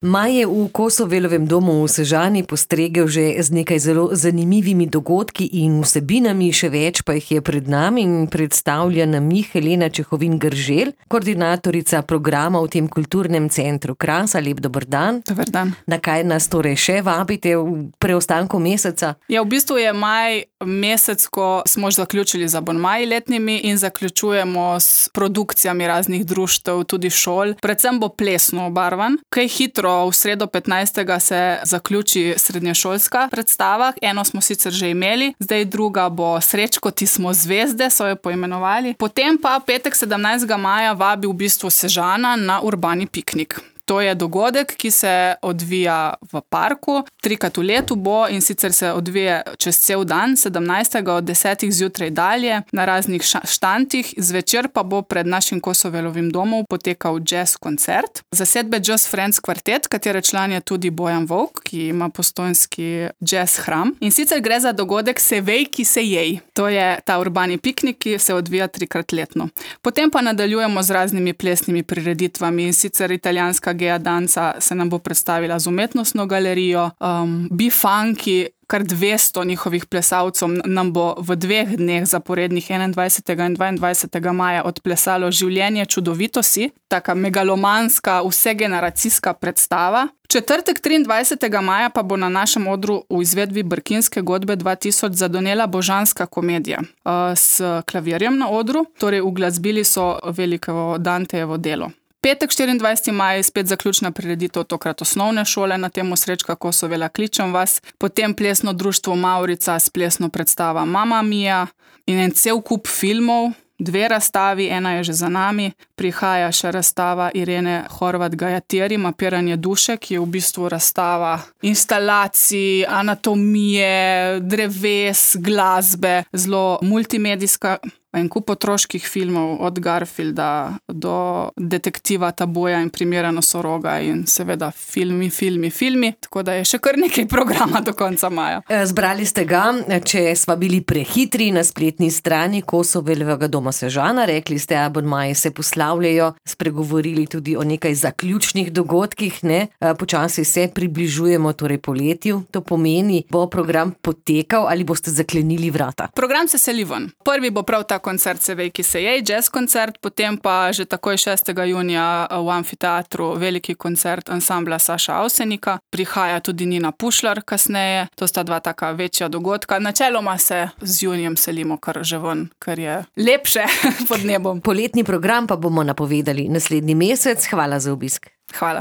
Maj je v Kosovelovem domu v Sežani postregel že z nekaj zelo zanimivimi dogodki in vsebinami, še več pa jih je pred nami in predstavlja nam jih Helena Čehovin-Grželj, koordinatorica programa v tem kulturnem centru Kras. Lep dober dan. Dober dan. Na kaj nas torej še vabite v preostanku meseca? Ja, v bistvu je maj mesec, ko smo že zaključili z abonmaji letnimi in zaključujemo s produkcijami raznih društev, tudi šol. Predvsem bo plesno obarvan. Kaj hitro, v sredo 15. se zaključi srednješolska predstava. Eno smo sicer že imeli, zdaj druga bo Srečko, ti smo zvezde, so jo poimenovali. Potem pa petek 17. maja vabi v bistvu Sežana na urbani piknik. To je dogodek, ki se odvija v parku, 3-krat v letu bo in sicer se odvija čez cel dan, 17. od 10. zjutraj dalje, na raznih štantih. Zvečer pa bo pred našim Kosovelovim domom potekal jazz koncert. Zasedbe Jazz Friends kvartet, katere član je tudi Bojan Volk, ki ima postojnski jazz hram. In sicer gre za dogodek Sevej, ki se jej. To je ta urbani piknik, ki se odvija 3-krat letno. Potem pa nadaljujemo z raznimi plesnimi prireditvami in sicer italijanska Gea Danca se nam bo predstavila z umetnostno galerijo, Bifunky, kar 200 njihovih plesalcev nam bo v 2 dneh zaporednih 21. in 22. maja odplesalo Življenje čudovito si, taka megalomanska, vsegeneracijska predstava. Četrtek 23. maja pa bo na našem odru v izvedbi Brkinske godbe 2000 zadonela božanska komedija s klavirjem na odru, torej uglasbili so veliko Dantejevo delo. Petek 24. maj, spet zaključna prireditev, tokrat osnovne šole na temo Srečka Kosovela, kličem vas. Potem plesno društvo Maurica s plesno predstava Mamma Mia in en cel kup filmov, 2 razstavi, ena je že za nami. Prihaja še razstava Irene Horvat Gajateri, Mapiranje duše, ki je v bistvu razstava instalacij, anatomije, dreves, glasbe, zelo multimedijska. En kup otroških filmov, od Garfielda do detektiva Taboja in Primera nosoroga in seveda filmi, tako da je še kar nekaj programa do konca maja. Zbrali ste ga, če sva bili prehitri, na spletni strani Kosovelovega doma Sežana, rekli ste, abonmaji se poslavljajo, spregovorili tudi o nekaj zaključnih dogodkih, ne? Počasi se približujemo torej poletju, to pomeni, bo program potekal ali boste zaklenili vrata? Program se seli ven. Prvi bo prav ta koncert Sevej, ki se jej, jazz koncert, potem pa že takoj 6. junija v amfiteatru veliki koncert ansambla Saša Avsenika. Prihaja tudi Nina Pušlar kasneje, to sta 2 taka večja dogodka. Načeloma se z junijem selimo kar že ven, ker je lepše pod nebom. Poletni program pa bomo napovedali naslednji mesec. Hvala za obisk. Hvala.